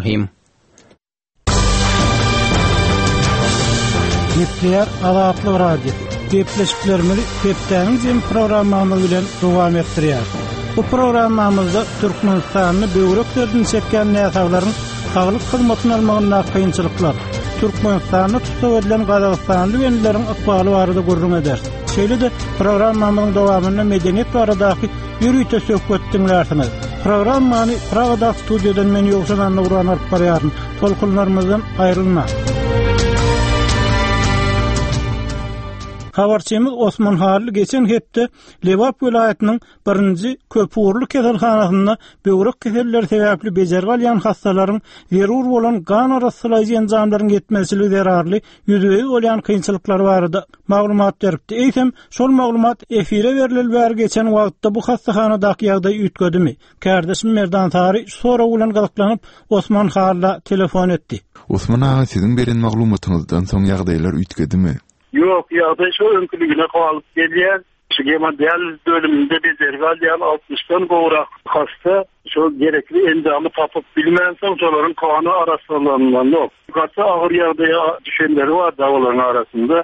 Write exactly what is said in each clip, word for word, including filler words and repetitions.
Rahym. Gepleýär Azatlyk Radiosy. Gepleşiklerimizi hepdäniň jemi programmamyz bilen dowam etdirýär. Bu programmamyzda Türkmenistanda böwrek derdini çekýän näsaglaryň saglyk hyzmatyny almagyndaky kynçylyklar, Türkmenistanda tussag edilen gazagystanly bendilerin ykbaly barada gürrüň ederis. Şeýle-de programmamyzyň dowamynda medeniýet baradaky ýörite söhbet diňlärsiňiz. Programmany Pragadaky studiýadan men Ýowşan Annagurban alyp barýaryn. Tolkunlarymyzdan aýrylmaň. Habarçymyz Osman Hally geçen hepde Lebap welaýatynyň birinji köpugurly keselhanasynda böwrek keselleri sebäpli bejergi alýan hassalaryň zerur bolan gan arassalaýjy enjamlaryň ýetmezçiligi zerarly ýüzbe-ýüz bolýan kynçylyklary barada maglumat beripdi. Eýsem, şol maglumat efire berleli bäri geçen wagtda bu hassahanadaky ýagdaý üýtgedimi? Kärdeşim Merdan Sary şu sorag bilen gyzyklanyp, Osman Halla telefon etdi. Osman aga, siziň beren maglumatyňyzdan soň ýagdaýlar üýtgedimi? Ýok, ýagdaý şo öňküligine galyp gelýär. Şu gemodializ bölüminde bejergi alýan altmyşdan gowrak hassa şo gerekli enjamy tapyp bilmänsoň, şolaryň gany arassalananok. Gaty agyr ýagdaýa düşenleri bar da olaryň arasynda.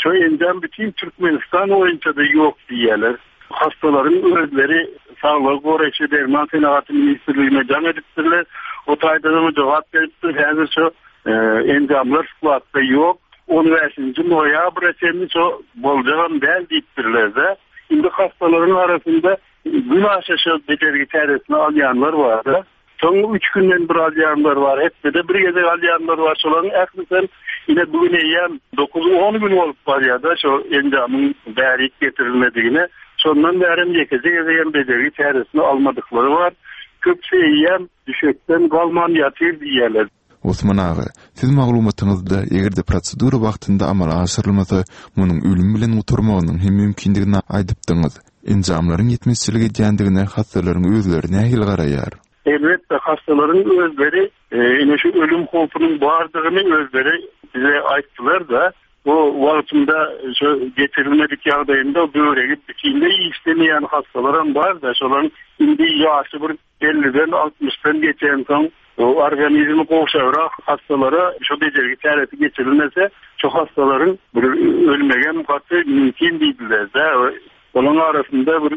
Şo enjam bütin Türkmenistan boýunça-da ýok diýýärler. Hassalaryň özleri Saglygy goraýyş we derman senagaty ministrligine jaň edipdirler. O taýdan jogap beripdir. Häzir şo, e, enjamlar skladda ýok. On bäşinji noýabra çenli şo boljagam däl diýipdirler-de. Indi hassalaryň arasynda gün aşa şo bejergi çäresini alýanlar bar-da. Soň üç günden bir alýanlar bar, hepdede bir gezek alýanlar bar. Şolaryň ählisi ine bugün eýýäm dokuz-on gün bolup barýar-da şo enjamyň bärik getirilmedigine. Şondan bäri ýekeje gezegem bejergi çäresini almadyklary bar. Köpüsi eýýäm düşekden galman ýatyr diýýärler. Osman aga, siz maglumatyňyzda eger-de prosedura wagtynda amala aşyrylmasa, munuň ölüm bilen gutarmagynyň hem mümkindigini aýdypdyňyz. Enjamlaryň ýetmezçilik edýändigine hassalaryň özleri nähili garaýar? Elbetde hassalaryň özleri, e, ine şu ölüm howpunyň bardygyny özleri bize aýtdylar-da, bu wagtynda şu getirilmedik ýagdaýynda böwregi bütinleý işlemeýän hassalaram bar-da, şolaryň indi ýaşy bir elliden altmyşdan geçensoň o organizmi gowşagrak hassalara şu bejergi çäresi geçirilmese, şu hassalaryň bir ölmegem gaty mümkin diýdiler-de. Olaryň arasynda bir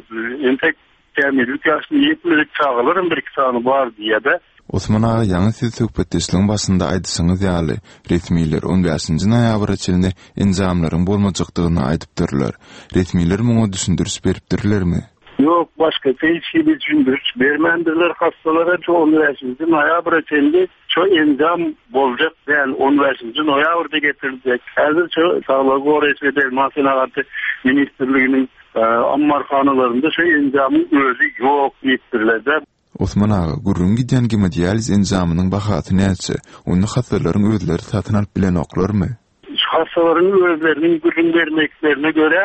entek kämillik ýaşyna ýetmedik çagalaram bir iki sany bar diýýär-de. Osman aga, ýaňy siz söhbetdeşligiň başynda aýdyşyňyz ýaly, resmiler on bäşinji noýabra çenli enjamlaryň bolmajakdygyny aýdypdyrlar. Resmiler muňa düşündiriş beripdirlermi? Ýok, başga hiç hili düşündiriş bermändirler hassalara. Şu on bäşinji noýabra çenli şu enjam boljak däl, on bäşinji noýabrda getiriljek. Häzir şu Saglygy goraýyş we derman senagaty ministrliginiň, e, ammarhanalarynda şu enjamyň özi ýok diýipdirler-de. Osman aga, gürrüň gidýän gemodializ enjamynyň bahasy näçe? Ony hassalaryň özleri satyn alyp bilenoklarmy? Şu hassalaryň özleriniň gürrüň bermeklerine görä,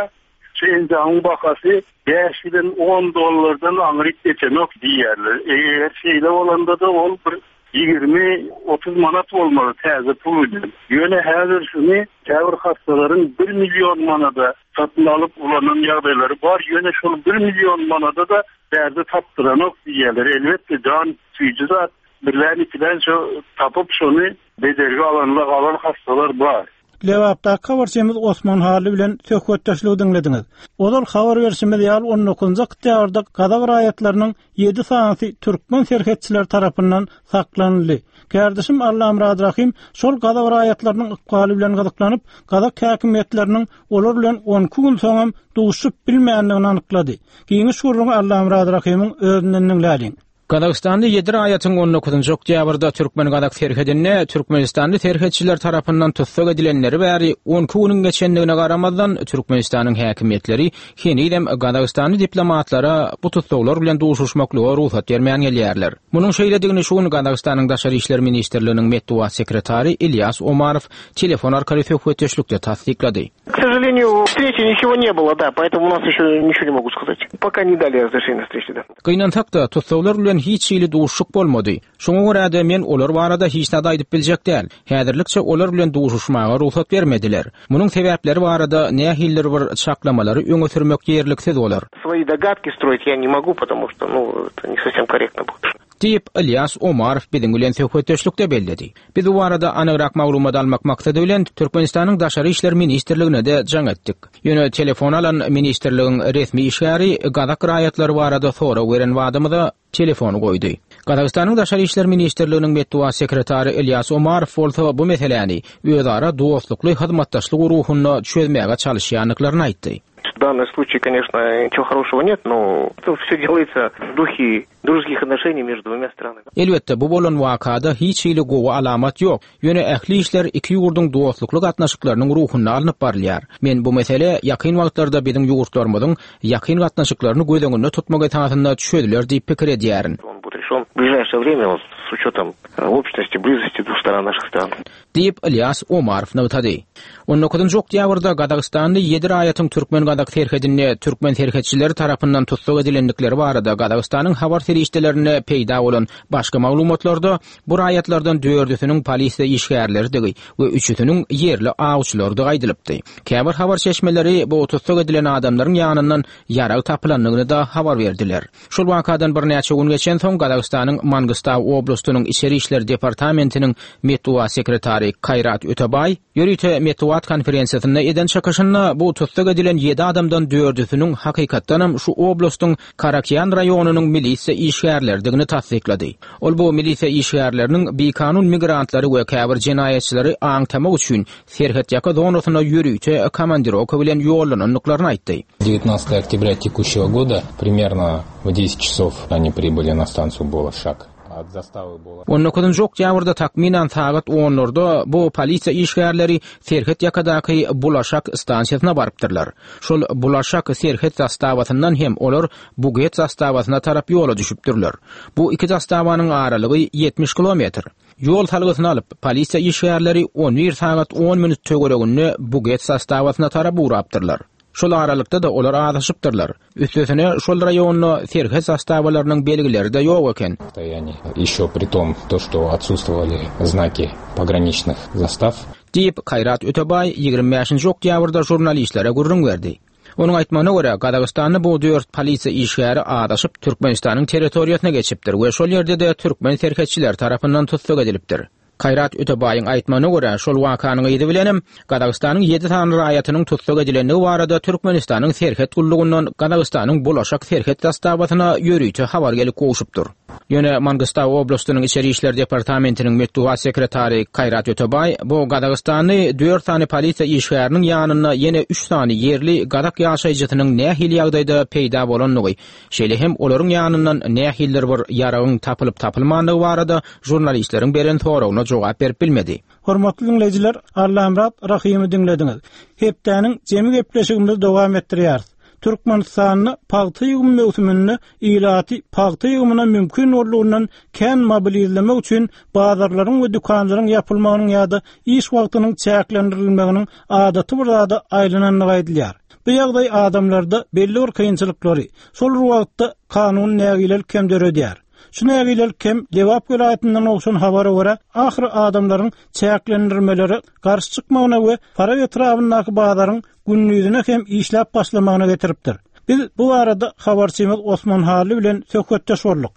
şu enjamyň bahasy bäş bilen on dollardan aňryk geçenok diýýärler. Eger şeýle bolanda-da ol bir ýigrimi otuz manat bolmaly täze pul bilen. Ýöne häzir şuny käbir hassalaryň bir million manada satyn alyp ulanan ýagdaýlary bar. Ýöne şol bir million manada da bärde tapdyranok diýýärler. Elbetde can süýji zat, birlän ikiden şo tapyp şony bejergi alanlar alan hassalar bar. Lebapdaky habarçymyz Osman Hally bilen söhbetdeşligi diňlediňiz. Ozal habar berşimiz ýaly on dokuzynjy oktýabrda gazak raýatlarynyň ýedi sanysy türkmen serhetçileri tarapyndan saklanyldy. Kärdeşim Allamurad Rahim şol gazak raýatlarynyň ykbaly bilen gyzyklanyp, gazak häkimiýetleriniň olar bilen on iki gün soňam duşup bilmändigini anyklady. Giňiş gürrüňi Allamurad Rahimiň özünden diňläliň. Gazagystanda ýedi raýatyň on dokuzynjy oktýabrda Türkmen-Gazak serhedinde Türkmenistanly serhetçiler tarapyndan tussag edilenleri bäri on iki günüň geçendigine garamazdan Türkmenistanyň häkimiýetleri henizem Gazagystanly diplomatlara bu tussaglar bilen duşuşmaklyga rugsat bermän gelýärler. Munuň şeýledigini şu gün Gazagystanyň Daşary işler ministrliginiň metbugat sekretary Ilýas Omarow telefon arkaly söhbetdeşlikde tassyklady. К сожалению, встречи ничего не было, да, поэтому у нас еще ничего не могу сказать. Пока не дали разрешения на встречу, да. Gynansak-da, tussaglar bilen hiç hili duşuşyk bolmady. Şoňa görä-de men olar barada hiç zat aýdyp biljek däl. Häzirlikçe olar bilen duşuşmaga rugsat bermediler. Munuň sebäpleri barada nähilidir bir çaklamalary öňe sürmek ýerliksiz bolar. Свои догадки строить я не могу, потому что, ну, это не совсем корректно будет. Diýip, Ylýas Omarow biziň bilen söhbetdeşlikde belledi. Biz bu barada anygrak maglumat almak maksady bilen Türkmenistanyň Daşary işler ministrligine-de jaň etdik. Ýöne telefon alan ministrligiň resmi işgäri gazak raýatlary barada sorag beren badymyza telefony goýdy. Gazagystanyň Daşary işler ministrliginiň metbugat sekretary Ylýas Omarow bolsa bu meseläni özara dostlukly hyzmatdaşlyk ruhunda çözmäge çalyşýandyklaryny aýtdy. В данном случае, конечно, ничего хорошего нет, но это все делается в духе дружеских отношений между двумя странами. Elbetde bu bolan wakada hiç hili gowy alamat ýok. Ýöne ähli işler iki ýurduň dostlukly gatnaşyklarynyň ruhunda alnyp barylýar. Men bu mesele ýakyn wagtlarda biziň ýurtlarymyzyň ýakyn gatnaşyklaryny göz öňünde tutmak esasynda çözüler diýip pikir edýärin. Он будет решен в ближайшее время вот, с учетом э, общности, близости двух сторон наших стран. Diýip Ylýas Omarow nygtady. On dokuzynjy oktýabrda Gazagystanda ýedi raýatyň türkmen-gazak serhedinde türkmen serhetçileri tarapyndan tussag edilendikleri barada Gazagystanyň habar serişdelerinde peýda bolan başga maglumatlarda bu raýatlardan dördüsiniň polisiýa işgärleridigi we üçüsiniň ýerli awçylarydygy aýdylypdy. Käbir habar çeşmeleri bu tussag edilen adamlaryň ýanyndan ýarag tapylandygyny da habar berdiler. Şol wakadan birnäçe gün geçen soň Gazagystanyň Mangistau oblastynyň içeri işler departamentiniň metbugat sekretary Kaýrat Ötebaý ýörite metbugat konferensiýasynda eden çykyşynda bu tussag edilen ýedi adamdan dördüsiniň hakykatdanam şu oblastyň Karakian raýonynyň milisiýa işgärleridigini tassyklady. Ol bu milisiýa işgärleriniň bikanun migrantlary we käbir jenaýatçylary aňtamak üçin serhet ýaka zonasyna ýörite komandirovka bilen ýollanandyklaryny aýtdy. девятнадцатого октября текущего года примерно в десять часов они прибыли на станцию Болашак. От заставы Болашак. On dokuzynjy oktýabrda takmynan sagat onlarda bu polisiýa işgärleri serhet ýakadaky Bulaşak stansiýasyna barypdyrlar. Şol Bulaşak serhet zastawasyndan hem olar Buget zastawasyna tarap ýola düşüpdirler. Bu iki zastawanyň aralygy ýetmiş kilometr. Ýol salgysyny alyp, polisiýa işgärleri on bir sagat on minut töwereginde Buget zastawasyna tarap ugrapdyrlar. Şol aralykda da olar azaşypdyrlar. Üstesine şol raýonda serhet zastawalarynyň belgileri de ýok eken. Стояние. Еще при том, то, что отсутствовали знаки пограничных застав. Diýip Kaýrat Ötebaý ýigrimi bäşinji oktýabrda žurnalistlere gürrüň berdi. Onuň aýtmagyna görä, Gazagystanda bu dört polisiýa işgäri azaşyp Türkmenistanyň territoriýasyna geçipdir we şol ýerde de türkmen serhetçileri tarapyndan tussag edilipdir. Kaýrat Ötebaýyň aýtmagyna görä, şol wakanyň yzy bilenem Gazagystanyň ýedi sany raýatynyň tussag edilendigi barada Türkmenistanyň serhet gullugyndan Gazagystanyň Bulaşak serhet zastawasyna ýörite habar gelip gowşupdyr. Ýöne Mangistau oblastynyň içeri işler departamentiniň metbugat sekretary Kaýrat Ötebaý bu Gazagystany dört sany polisiýa işgäriniň ýanynda ýene üç sany ýerli gazak ýaşaýjysynyň nähili ýagdaýda peýda bolandygy, şeýle hem olaryň ýanyndan nähilidir bir ýaragyň tapylyp tapylmandygy barada žurnalistleriň beren soragyna jogap berip bilmedi. Hormatly dinleýjiler, Allamyrat Rahymy diňlediňiz. Hepdäniň jemi gepleşigimizi dowam etdirýäris. Türkmenistanda pagta ýygymy möwsüminde ilaty pagta ýygymyna mümkin boldugyndan kän mobilizlemek üçin bazarlaryň we dükanlaryň ýapylmagynyň ýa-da iş wagtynyň çäklendirilmeginiň adaty bir zada aýlanandygy aýdylýar. Bu ýagdaý adamlarda belli bir kynçylyklary, şol bir wagtda kanun nägilelik hem döredýär. Şu nägilelik hem Lebap welaýatyndan ogşan habara görä, ahyry adamlaryň çäklendirmelere garşy çykmagyna we Farap etrabyndaky bazaryň gündüzine hem işläp başlamagyna getiripdir. Biz bu arada habarçymyz Osman Hally bilen söhbetdeş bolduk.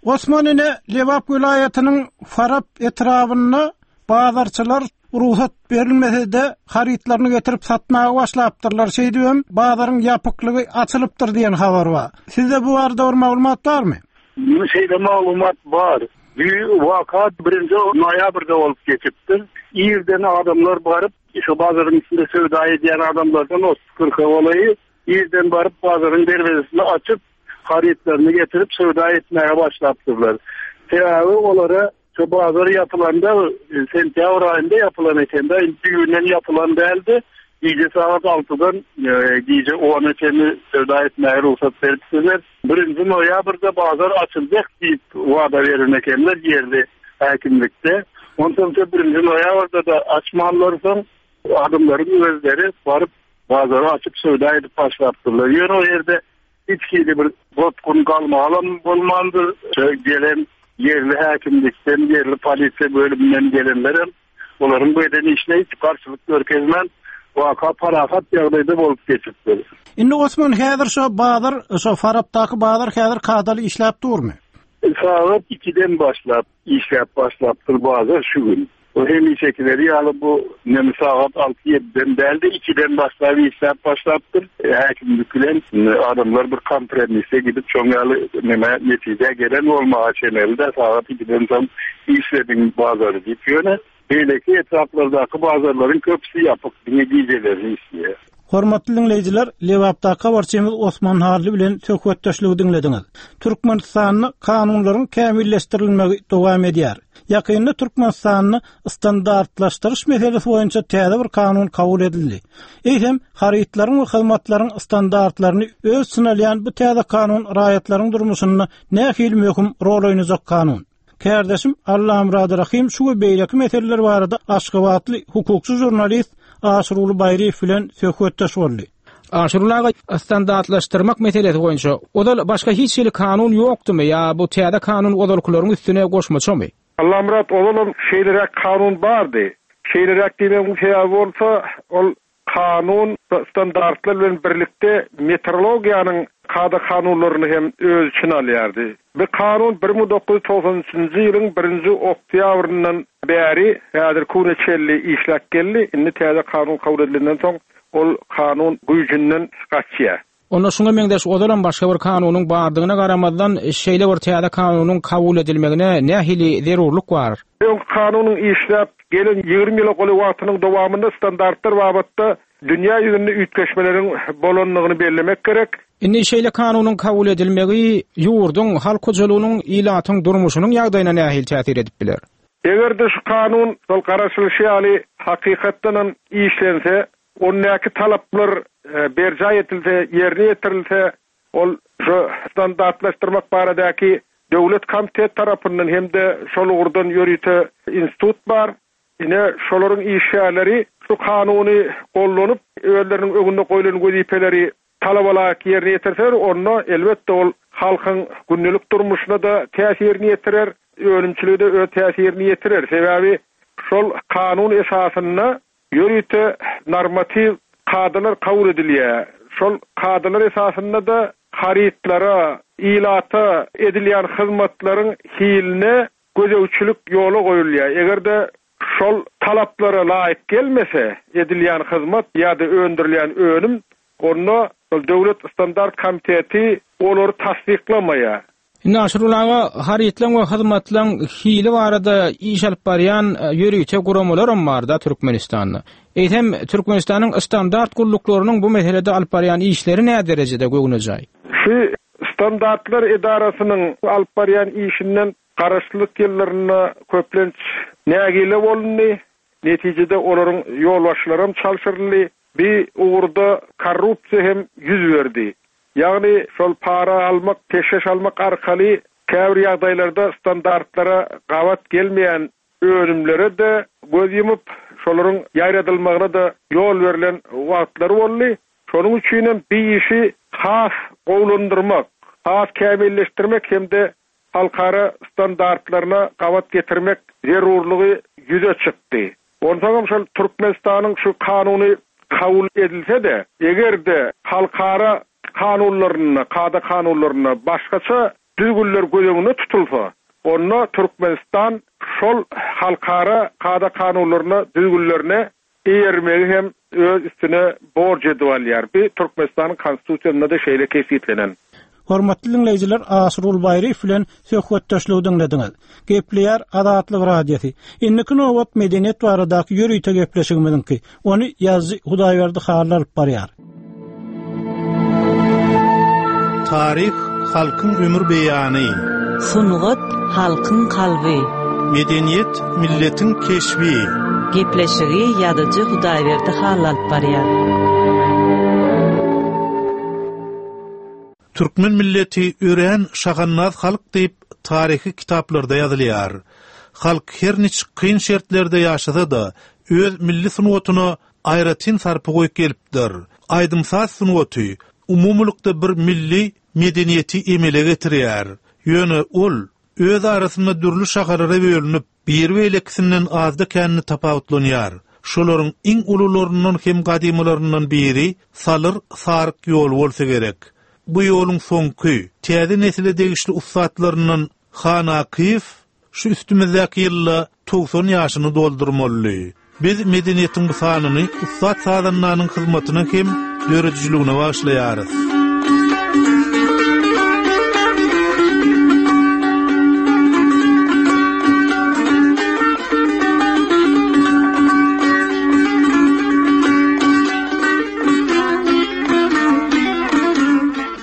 Osman ine Lebap welaýatynyň Farap etrabynda bazarçylar ruhsat berilmese-de harytlaryny getirip satmaga başlapdyrlar. Şeýdibem bazaryň ýapyklygy açylypdyr diýen habar bar. Sizde bu barada bir maglumat barmy? Şeýle maglumat bar. Bir waka birinji noýabrda bolup geçipdir. Irden adamlar baryp, şu bazaryň içinde söwda edýän adamlardan otuz kyrka golaýy irden baryp bazaryň derwezesini açyp, harytlaryny getirip söwda etmäge başlapdyrlar. Sebäbi olara şu bazar ýapylanda, sentýabr aýynda ýapylan ekende, düýünden ýapylan däldi. Gije sagat altydan, e, gije ona çenli söwda etmäge ruhsat beripdirler. Birinji noýabrda bazar açyljak diýip wada beren ekenler ýerli häkimlikde. Ondan soň birinji noýabrda da açmanlar soň adamlaryň özleri baryp bazary açyp söwda edip başlapdyrlar. Ýöne o ýerde hiç hili bir botgun galmalam bolmandyr. Şö gelen ýerli häkimlikden, ýerli polisiýa bölüminden gelenler olaryň bu eden işine hiç garşylyk görkezmän waka parahat ýagdaýda bolup geçipdir. Indi Osman häzir şo bazar, şo Farapdaky bazar häzir kadaly işläp durmy? Sagat ikiden başlap işläp başlapdyr bazar şu gün. O hemişekileri ýaly bu neme sagat alty-ýediden däl-de ikiden başlap işläp başlapdyr. Häkimlik bilen adamlar bir kompromise gidip şoň ýaly neme netijä gelen bolmaga çemeli-de sagat ikiden soň işlediň bazary diýip ýöne beýleki etraplardaky bazarlaryň köpüsi ýapyk diňe gijeleri işleýär. Hormatly diňleýjiler, Lebapdaky habarçymyz Osman Hally bilen söhbetdeşligi diňlediňiz. Türkmenistanda kanunlaryň kämilleşdirilmegi dowam edýär. Ýakynda Türkmenistanda standartlaşdyryş meselesi boýunça täze bir kanun kabul edildi. Eýsem, harytlaryň we hyzmatlaryň standartlaryny öz içine alýan bu täze kanun raýatlaryň durmuşynda nähili möhüm rol oýnajak kanun? Kärdeşim Allamurad Rahim şu we beýleki meseleler barada Aşgabatly hukukçy žurnalist Aşyruly Baýryýew bilen söhbetdeş boldy. Aşyruly aga, standartlaşdyrmak meselesi boýunça ozal başga hiç hili kanun ýokdumy ýa bu täze kanun ozalkylaryň üstüne goşmaçamy? Allamurad, ozalam şeýleräk kanun bardy. Şeýleräk diýmegiň sebäbi bolsa, ol kanun standartlar bilen birlikde metrologiýanyň kada-kanunlaryny hem öz içine alýardy. Bu kanun bir müň dokuz ýüz togsan üçünji ýylyň birinji oktýabryndan bäri häzirki güne çenli işläp geldi. Indi täze kanun kabul edilenden soň ol kanun güýjünden gaçýar. Onda şuňa meňzeş ozalam başga bir kanunyň bardygyna garamazdan şeýle bir täze kanunyň kabul edilmegine nähili zerurlyk bar? Öňki kanunyň işläp gelen ýigrimi ýyla golaý wagtynyň dowamynda standartlar babatda dünýä ýüzünde üýtgeşmeleriň bolandygyny bellemek gerek. Indi şeýle kanunyň kabul edilmegi ýurduň halk hojalygynyň, ilatyň durmuşynyň ýagdaýyna nähili täsir edip biler? Eger-de şu kanun şol garaşylyşy ýaly hakykatdanam işlense, ondaki talaplar, e, berjaý edilse, ýerine ýetirilse, ol şu standartlaşdyrmak baradaky döwlet komitet tarapyndan hem-de şol ugurdan ýörite institut bar. Ine şolaryň işgärleri şu kanuny gollanyp, özleriniň öňünde goýlan wezipeleri talaba laýyk ýerine ýetirseler, onda elbetde ol halkyň gündelik durmuşyna da täsirini ýetirer, önümçilige de öz täsirini ýetirer. Sebäbi şol kanun esasynda ýörite normatiw kadalar kabul edilýär. Şol kadalar esasynda da harytlara, ilata edilýän hyzmatlaryň hiline gözegçilik ýola goýulýar. Eger-de şol talaplara laýyk gelmese edilýän hyzmat ýa-da öndürilýän önüm, onda şol döwlet standart komiteti olary tassyklamaýar. Indi Aşyruly aga, harytlaryň we hyzmatlaryň hili barada iş alyp barýan, e, ýörite guramalaram bar-da Türkmenistanda. Eýsem, Türkmenistanyň standart gulluklarynyň bu meselede alyp barýan işleri nä derejede göwnejaý? Şu standartlar edarasynyň alyp barýan işinden garaşsyzlyk ýyllarynda köplenç nägile bolundy. Netijede olaryň ýolbaşçylaram çalşyryldy. Bir ugurda korrupsiýa hem ýüz berdi. Ýagny şol para almak, peşgeş almak arkaly käbir ýagdaýlarda standartlara gabat gelmeýän önümlere de göz ýumup, şolaryň ýaýradylmagyna da ýol berlen wagtlar boldy. Şonuň üçin hem bir işi has gowulandyrmak, has kämilleşdirmek hem de halkara standartlaryna gabat getirmek zerurlygy ýüze çykdy. Onsoňam şol Türkmenistanyň şu kanuny kabul edilse de, eger-de halkara kanunlaryna, kada kanunlaryna başgaça düzgünler göz öňünde tutulsa, onda Türkmenistan şol halkara kada kanunlaryna, düzgünlerine eýermegi hem öz üstüne borç edip alýar. Bu Türkmenistanyň konstitusiýasynda da şeýle kesgitlenen. Hormatly diňleýjiler, Aşyrul Baýryýew bilen söhbetdeşligi diňlediňiz. Gepleýär Azatlyk Radiosy. Indiki nobat medeniýet baradaky ýörite gepleşigimiziňki. Ony ýazyjy Hudaýberdi Hally alyp barýar. Taryh halkyň ömür beýany. Sungat halkyň kalby. Medeniýet milletiň keşbi. Gepleşigi ýazyjy Hudaýberdi Hally alyp barýar. Türkmen milleti örän şahannaz halk diýip taryhy kitaplarda ýazylýar. Halk her niçik kyn şertlerde ýaşasa da öz milli sungatyna aýratyn sarpa goýup gelipdir. Aýdym-saz sungaty umumylykda bir milli medeniýeti emele getirýär. Ýöne ol öz arasynda dürli şahalara bölünip, bir beýlekisinden azda känini tapawutlanýar. Şolaryň iň ulularyndan hem gadymylaryndan biri Salyr Saryk ýoly bolsa gerek. Bu ýoluň soňky, täze nesile degişli ussatlaryndan Han Akyýew şu üstümizdäki ýylda togsan ýaşyny doldurmaly. Biz medeniýetiň bu sanyny ussat sazandanyň hyzmatyna hem döredijiligine bagyşlaýarys.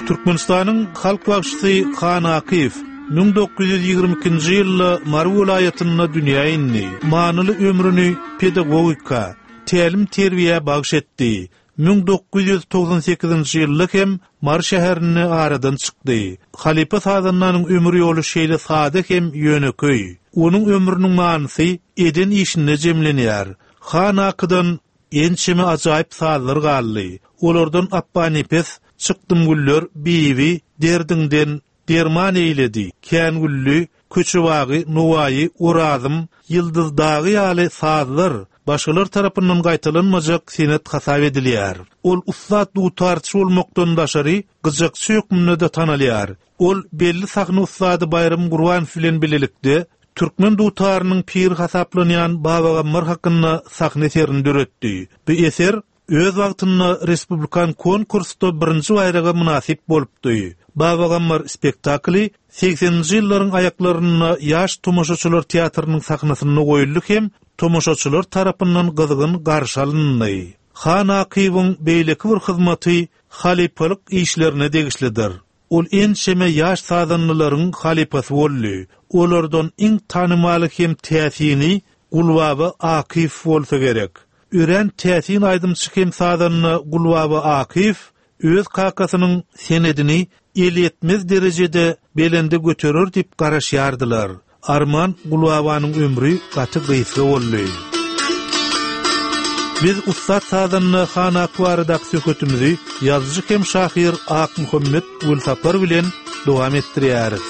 Türkmenistanyň halk bagşysy Han Akyýew müň dokuz ýüz ýigrimi ikinji ýylda Mary welaýatynda dünýä indi. Manyly ömrüni pedagogika, tälim-terbiýä bagyş etdi. Müň dokuz ýüz togsan sekizinji ýylda hem Mary şäherinde aradan çykdy. Halypa sazandanyň ömür ýoly şeýle sada hem ýönekeý. Onuň ömrüniň manysy eden işinde jemlenýär. Han Akydan ençeme ajaýyp sazlar galdy. Olardan Apbanepes, Çykdym güller, Bibi, Derdiňden, Derman eýledi, Kängülli, Köçebagy, Nowaýy, Orazym, Ýyldyz dagy ýaly sazlar başgalar tarapyndan gaýtalanmajak senet hasap edilýär. Ol ussat dutarçy bolmakdan daşary gyjakçy hökmünde-de tanalýar. Ol belli sahna ussady Baýram Gurbanow bilen bilelikde türkmen dutarynyň piri hasaplanýan Babagammar hakynda sahna eserini döretdi. Bu eser öz wagtynda respublikan konkursda birinji baýraga mynasyp bolupdy. Babagammar spektakly segseninji ýyllaryň aýaklarynda ýaş tomaşaçylar teatrynyň sahnasynda goýuldy hem tomaşaçylar tarapyndan gyzgyn garşy alyndy. Han Akyýewiň beýleki bir hyzmaty halypalyk işlerine degişlidir. Ol ençeme ýaş sazandylaryň halypasy boldy. Olardan iň tanymaly hem täsini Gulbaba Akyýew bolsa gerek. Örän täsin aýdymçy hem sazanda Gulbaba Akyýew öz kakasynyň senedini elýetmez derejede belende göterer diýip garaşýardylar. Arman Gulbabanyň ömri gaty gysga boldy. Biz ussat sazanda Han Aky baradaky söhbetimizi ýazyjy hem şahyr Akmuhammet Welsapar bilen dowam etdirýäris.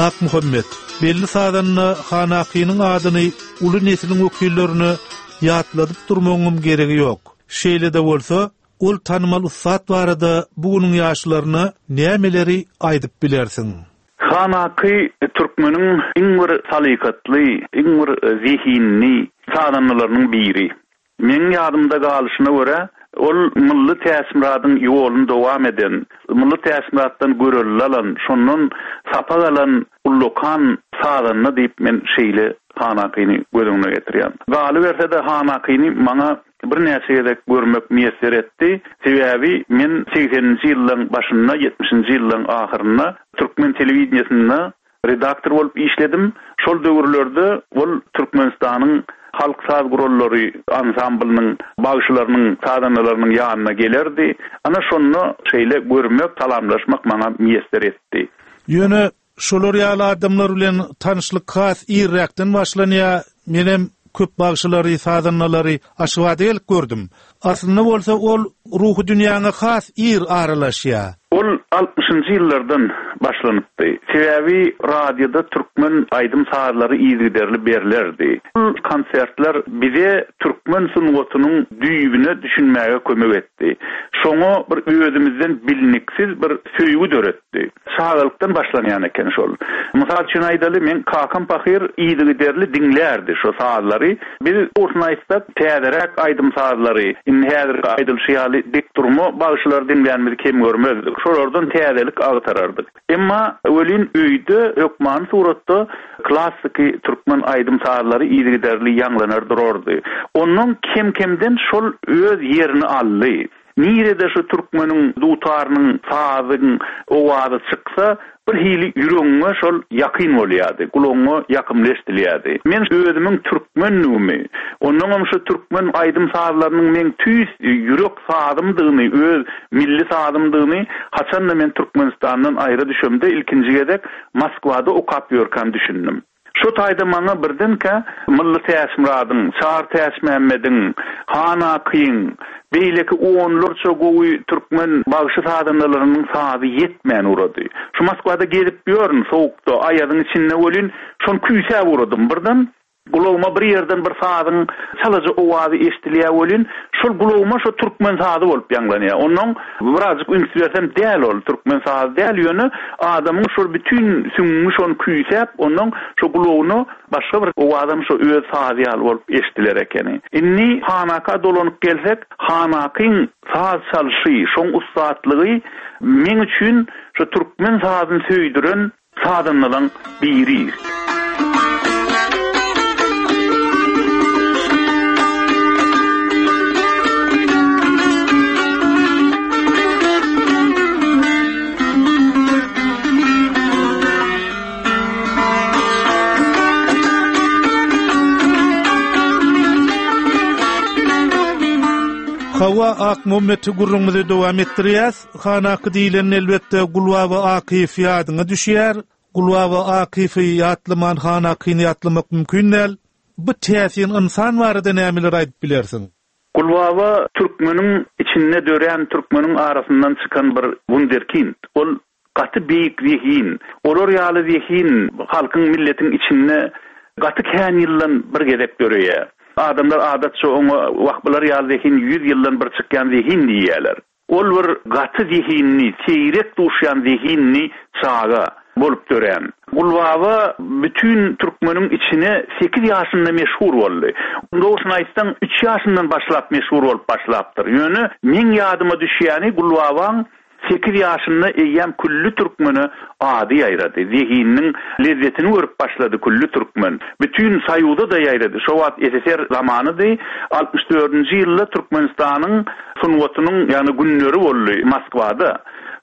Akmuhammet, belli sazanda Han Akynyň adyny uly nesliň wekillerine ýatladyp durmagyň geregi ýok. Şeýle-de bolsa, ol tanymal ussat barada bu günüň ýaşlaryna nämeleri aýdyp bilersiň? Han Aky türkmeniň iň bir salykatly, iň bir zehinli sazandalarynyň biri. Meň ýadymda galyşyna görä, ol Mylly Täçmyradyň ýoluny dowam eden, Mylly Täçmyratdan görelde alan, şondan sapak alan ullakan sazanda diýip men şeýle Han Akyny göz öňüne getirýän. Galyberse-de Han Akyny maňa birnäçe gezek görmek miýesser etdi. Sebäbi men segseninji ýyllaryň başynda, ýetmişinji ýyllaryň ahyrynda türkmen telewideniýesinde redaktor bolup işledim. Şol döwürlerde ol Türkmenistanyň halk saz gurallary ansamblynyň bagşylarynyň, sazandalarynyň ýanyna gelerdi. Ana şonda şeýle görmek, salamlaşmak maňa miýesser etdi. Ýöne şolar ýaly adamlar bilen tanyşlyk has irräkden başlanýar. Menem köp bagşylary, sazandalary Aşgabada gelip gördüm. Aslynda bolsa ol ruhy dünýäňe has ir aralaşýar. Ol altmyşynjy ýyllardan başlanypdy. Sebäbi radioda türkmen aýdym sazlary yzygiderli berlerdi. Ol konsertler bize türkmen sungatynyň düýbüne düşünmäge kömek etdi. Şoňa bir özümizden bilniksiz bir söýgi döretdi. Çagalykdan başlanýan eken şol. Mysal üçin aýdaly, men kakam pahyr yzygiderli diňlärdi şo sazlary. Biz orsun aýtsak, täzeräk aýdym sazlary, indi häzirki aýdylşy ýaly dik durma bagşylary diňlänimizi kem görmezdik. Şolardan täzelik agtarardyk. Emma welin öýde hökmany suratda klassiki türkmen aýdym sazlary yzygiderli ýaňlanar durardy. Ondan kem-kemden şol öz ýerini aldy. Nirede şu türkmeniň dutarynyň sazyň owazy çyksa, bir hili ýüregiňe şol ýakyn bolýardy, gulagyňa ýakymly eşidilýärdi. Men özümiň türkmenligimi, ondan hem şu türkmen aýdym sazlarynyň meň tüýs ýürek sazymdygyny, öz milli sazymdygyny haçanda men Türkmenistandan aýra düşemde ilkinji gezek Moskwada okap ýörkäm düşündim. Şu taýda maňa birdenkä Mylly Täçmyradyň, Çar Täçmämmediň, Han Akyň, beýleki onlarça gowy türkmen bagşy sazandalarynyň sazy ýetmän ugrady. Şu Moskwada gezip ýörün sowukda, aýazyň içinde welin, şony küýsäp ugradym. Birden Gulagyma bir ýerden bir sazyň çalaja owazy eşidilýär welin, şol gulagyma şo türkmen sazy bolup ýaňlanýar. Ondan birazjyk üns bersem däl ol türkmen sazy däl, ýöne adamyň şol bütin süňňi şony küýsäp, ondan şo gulagyna başga bir owazam şo öz sazy ýaly bolup eşidiler ekeni. Indi Hanaka dolanyp gelsek, Hanakyň saz çalşy, şoň ussatlygy meň üçin şo türkmen sazyny söýdüren sazanlaryň biri. Hawa Akmuhammet gürrüňimizi dowam etdirýäs. Hanaky diýlen elbetde Gulbaba Akyýew ýadyňa düşýär. Gulbaba Akyýewi ýatlaman Hanakyny ýatlamak mümkin däl. Bu täsin ynsan barada nämeler aýdyp bilersiň? Gulbaba türkmeniň içinde dörän türkmeniň arasyndan çykan bir wunderkind. Ol gaty beýik zehin. Olar ýaly zehin halkyň milletiň içinde gaty kän ýyldan bir gezek döreýär. Adamlar adatça oňa wah bular ýaly zehin ýüz ýyldan bir çykýan zehin diýýärler. Ol bir gaty zehinli, seýrek duşýan zehinli çaga bolup dörän. Gulbaba bütün türkmeniň içine sekiz ýaşynda meşhur boldy. Dogrusyny aýtsaň, üç ýaşyndan başlap meşhur bolup başlapdyr. Ýöne meň ýadyma düşýäni Gulbabaň sekiz ýaşynda eýýäm külli türkmene ady ýaýrady. Zehininiň lezzetini görüp başlady külli türkmen. Bütün Soýuzda da ýaýrady. Şo wagt S S R zamanydy. Altmyş dördünji ýylda Türkmenistanyň sungatynyň, ýagny günleri boldy Moskwada.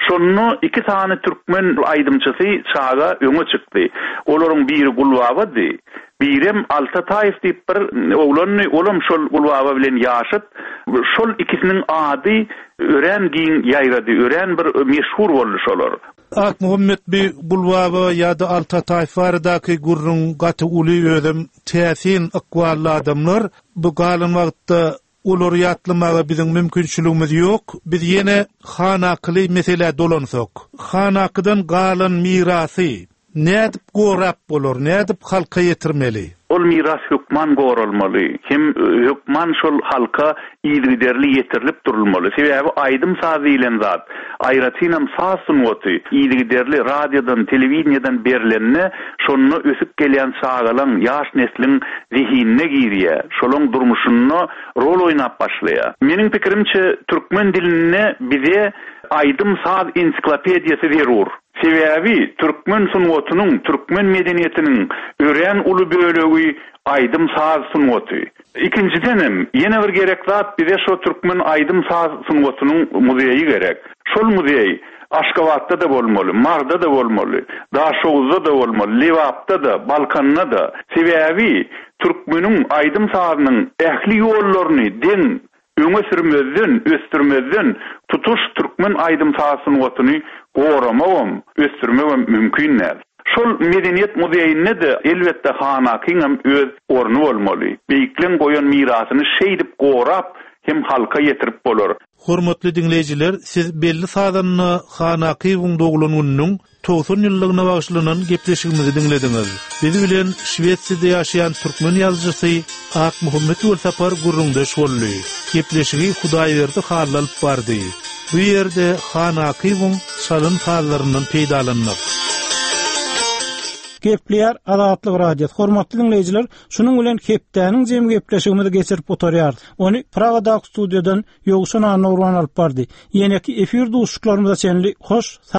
Şonda iki sany türkmen aýdymçysy çaga öňe çykdy. Olaryň biri Gulbabady, birem Altataýew diýip bir oglandy, olam şol Gulbaba bilen ýaşyt. Şol ikisiniň ady örän giň ýaýrady, örän bir meşhur boldy şolar. Akmuhammet bi Gulbaba ýa-da Altataýew baradaky gürrüň gaty uly özüm täsin ykbally adamlar. Bu galan wagtda olary ýatlamaga biziň mümkinçiligimiz ýok. Biz ýene Hanakyly meselä dolansak. Hanakydan galan mirasy nädip gorap bolar, nädip halka ýetirmeli? Ol miras hökman goralmaly, hem hökman şol halka yzygiderli ýetirilip durulmaly. Sebäbi aýdym saz diýlen zat, aýratynam saz sungaty yzygiderli radiodan, telewideniýeden berilende şonda ösüp gelýän çagalaň, ýaş nesliň zehinine girýär, şolaň durmuşynda rol oýnap başlaýar. Meniň pikirimçe türkmen dilinde bize aýdym saz ensiklopediýasy zerur. Sebäbi türkmen sungatynyň, türkmen medeniýetiniň örän uly bölegi aýdym saz sungaty. Ikinjidenem ýene bir gerek zat bize şo türkmen aýdym saz sungatynyň muzeýi gerek. Şol muzeý Aşgabatda da bolmaly, Marda da bolmaly, Daşoguzda da bolmaly, Lebapda da, Balkanda da. Sebäbi türkmeniň aýdym sazynyň ähli ýollaryny deň öňe sürmezden, ösdürmezden tutuş türkmen aýdym saz sungatyny goramagam, ösdürmegem mümkin däl. Şol medeniýet muzeýinde de elbetde Hanakyňam öz orny bolmaly. Beýikleň goýan mirasyny şeýdip gorap hem halka ýetirip bolar. Hormatly dinleýjiler, siz belli sazanda Hanakyň doglan gününiň togsan ýyllygyna bagyşlanan gepleşigimizi dinlediňiz. Biz bilen Şwesiýada ýaşaýan türkmen ýazyjysy Akmuhammet Welsapar gürrüňdeş boldy. Gepleşigi Hudaýberdi Hally alyp bardy. Bu ýerde Hanakyň çalyn sazlaryndan peýdalandyk. Gepleýär Azatlyk Radiosy. Hormatly dinleýjiler, şunuň bilen hepdäniň jem gepleşigimizi geçirip oturýarys. Ony Pragadaky studiýadan Ýowşan Anna Urban alyp bardy. Ýeneki efir duşuşyklarymyza çenli hoş